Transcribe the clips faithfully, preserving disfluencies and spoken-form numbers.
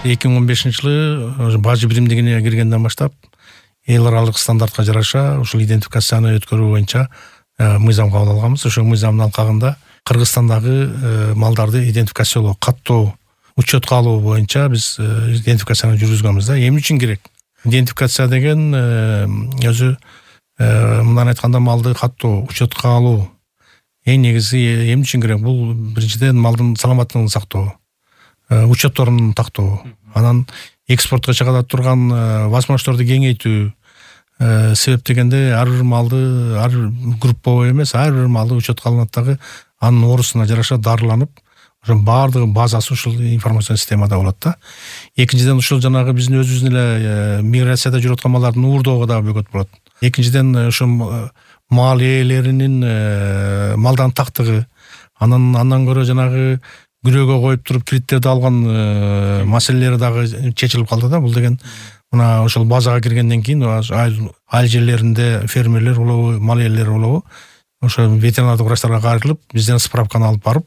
эки миң он бешинчи жылы бажы биримдигине киргенден баштап эл аралык стандартка жараша ушул идентификацияны өткөрүү боюнча мыйзам кабыл алганбыз. Ошол мыйзамдын алкагында Кыргызстандагы малдарды идентификациялоо, каттоо, учетко алуу боюнча биз идентификацияны жүргүзгөнбүз да. Эмне үчүн керек? Идентификация деген өзү мындан айтканда малды каттоо, учетко алуу эң негизи эмне үчүн керек? Бул биринчиден малдын саламаттыгын сактоо, учетторун тактоо, анан экспортко чыгара турган возможностторду кеңейтүү. Себеп дегенде ар бир малды, ар групповой эмес, ар бир малды учетко алынат дагы анын оорусуна жараша дарыланып, ошо баардыгы базасы ушул информацион системада болот да. Экинчиден ушул жанагы биздин өзүбүздүн эле миграцияда жүрүп аткан малдардын уурдоого дагы бөгөт болот. Экинчиден ошо мал ээлеринин малдан тактыгы, анан андан көрө жанагы күрөөгө коюп туруп кредиттерди алган маселелери дагы чечилип калды да. Бул деген мына ошол базага киргенден кийин айыл жерлеринде фермерлер болобу, мал ээлери болобу, ошо ветеринардык врачтарга кайрылып, бизден справканы алып барып,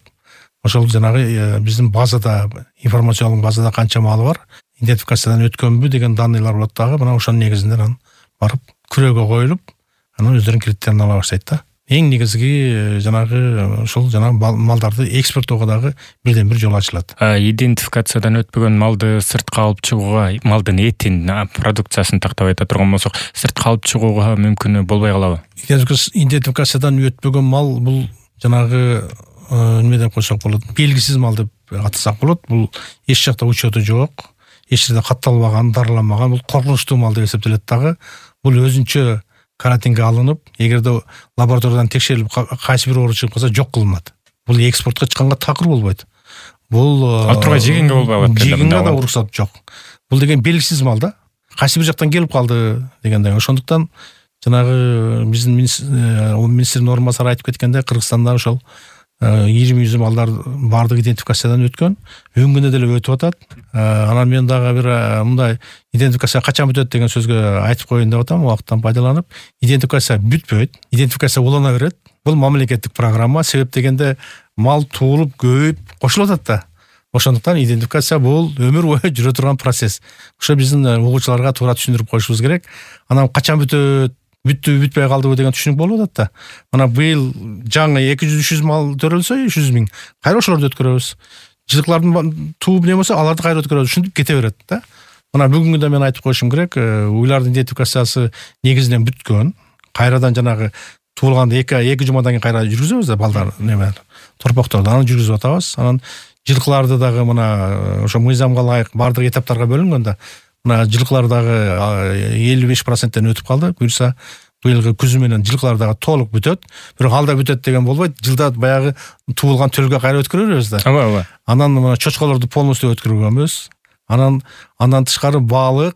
ошол жанагы биздин базада, информациялык базада канча малы бар, идентификациядан өткөнбү деген данныйлар болот дагы. Мына ошонун негизинде анан барып күрөөгө коюлуп, анан өздөрүнүн кредиттерин ала баштайт да. Эң негизги жанагы ушул жанагы малдарды экспорттоого дагы бирден бир жол ачылат. Идентификациядан өтпөгөн малды сыртка алып чыгууга, малдын этин, продукциясын тактап айта турган болсок, сыртка алып чыгууга мүмкүнү болбой калабы? Идентификациядан өтпөгөн мал бул жанагы неме деп койсок болот, белгисиз мал деп атасак болот. Бул эч жакта учету жок, эч жерде катталбаган, дарыланбаган, бул коркунучтуу мал деп эсептелет дагы. Бул өзүнчө карантинге алынып, эгерде лабораториядан текшерилип кайсы бир оору чыгып калса жок кылынат. Бул экспортко чыкканга такыр болбойт. Бул ал тургай жегенге болбой калат. Жегенге да уруксат жок. Бул деген белгисиз мал да. Кайсы бир жактан келип калды дегендей. Ошондуктан жанагы биздин министрдин орун басары айтып кеткенде, Кыргызстанда ошол жыйырма жүз малдар баардык идентификациядан өткөн, өнгөндө деле өтүп атат. Анан мен дагы бир мындай идентификация качан бүтөт деген сөзгө айтып коеюн деп атам, убакыттан пайдаланып. Идентификация бүтпөйт, идентификация улана берет. Бул мамлекеттик программа. Себеп дегенде мал туулуп, көбөйүп, кошулуп атат да. Ошондуктан идентификация бул өмүр бою жүрө турган процесс. Ошо биздин угуучуларга туура түшүндүрүп коюшубуз керек. Анан качан бүтөт, бүттү бүтпөй калдыбы деген түшүнүк болуп атат да. Мына быйыл жаңы эки жүз үч жүз мал төрөлсө, үч жүз миң кайра ошолорду өткөрөбүз. Жылкылардын тууп не болсо, аларды кайра өткөрөбүз. Ушинтип кете берет да. Мына бүгүнгүндө мен айтып коюшум керек, уйлардын идентификациясы негизинен бүткөн. Кайрадан жанагы туулганда эки эки жумадан кийин кайра жүргүзөбүз да балдар неме торпокторду. Аны жүргүзүп атабыз. Анан жылкыларды дагы мына ошо мыйзамга ылайык баардык этаптарга бөлүнгөн да. Мына жылкылар дагы элүү беш проценттен өтүп калды. Буюрса быйылгы күзү менен жылкылар дагы толук бүтөт. Бирок алда бүтөт деген болбойт. Жылда баягы туулган төлгө кайра өткөрө беребиз да. Ооба, ооба. Анан мына чочколорду полностью өткөргөнбүз. Анан андан тышкары балык,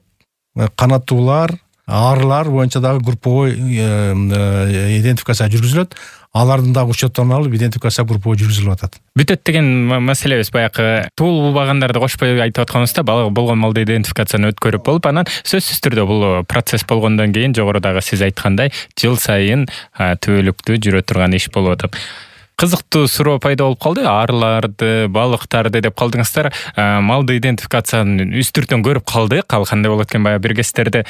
канаттуулар, арылар боюнча дагы групповой идентификация жүргүзүлөт. Алардын дагы учетторун алып идентификация групповой жүргүзүлүп атат. Бүтөт деген маселебиз баягы туулбагандарды кошпой айтып атканыбызда, балык болгон малды идентификацияны өткөрүп болуп, анан сөзсүз түрдө бул процесс болгондон кийин жогорудагы сиз айткандай жыл сайын түбөлүктүү жүрө турган иш болуп атат. Кызыктуу суроо пайда болуп калды. Арыларды, балыктарды деп калдыңыздар. Малды идентификацияны үстүртөн көрүп калдык. Ал кандай болот экен, баягы бир кездерде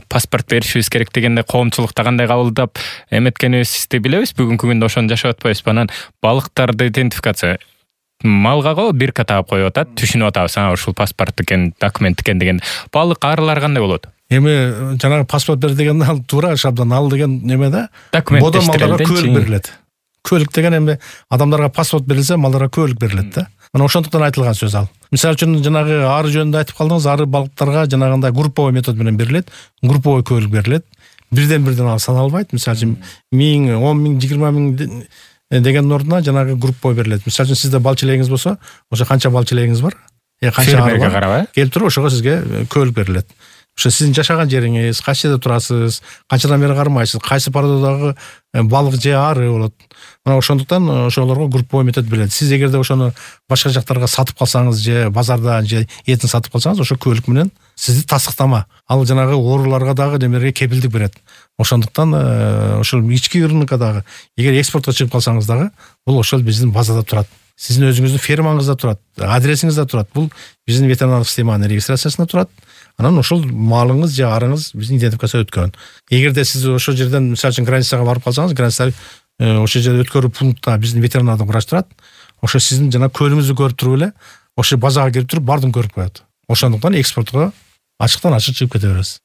паспорт беришибиз керек дегенде коомчулукта кандай кабылдап эметкенибизди билебиз. Бүгүнкү күндө ошону жашап атпайбызбы? Анан балыктарды идентификация малга го бирка таап коюп атат, түшүнүп атабыз. А ушул паспорт экен, документ экен деген. Балык, арылар кандай болот? Эми жанагы паспорт бер деген ал туура шабдан ал деген неме да? Документ көлүк берилет. Көлүк деген эми адамдарга паспорт берилсе, малдарга көлүк берилет да. Мына ошондуктан айтылган сөз ал. Мисалы үчүн жанагы ары жөнүндө айтып калдыңыз, ары балыктарга жанагындай групповой метод менен берилет, групповой көлүк берилет. Бирден бирден ал саналбайт. Мисалы үчүн миң, он миң, жыйырма миң деген ордуна жанагы групповой берилет. Мисалы үчүн сизде балчы элегиңиз болсо, ошо канча балчы элегиңиз бар? Э канча ары бар? Келип туруп ошого сизге көлүк берилет. Ошо сиздин жашаган жериңиз, кайсы жерде турасыз, канчадан бери кармайсыз, кайсы породадагы балык же ары болот. Мына ошондуктан ошолорго групповой метод берилет. Сиз эгерде ошону башка жактарга сатып калсаңыз же базарда же этин сатып калсаңыз, ошо көлүк менен сизди тастыктама. Ал жанагы ооруларга дагы демерге кепилдик берет. Ошондуктан ошол ички рынокко дагы эгер экспортко чыгып калсаңыз дагы бул ошол биздин базада турат. сиздин өзүңүздүн фермаңызда турат, адресиңизде турат. Бул биздин ветеринардык системанын регистрациясында турат. Анан ошол малыңыз же арыңыз биздин идентификация өткөн. Эгерде сиз ошол жерден мисалы үчүн границага барып калсаңыз, граница ошол жерде өткөрүү пунктта биздин ветеринардык врач турат. Ошо сиздин жана көлүңүздү көрүп туруп эле ошо базага кирип туруп бардын көрүп коет. Ошондуктан экспортко ачыктан ачык чыгып кете беребиз.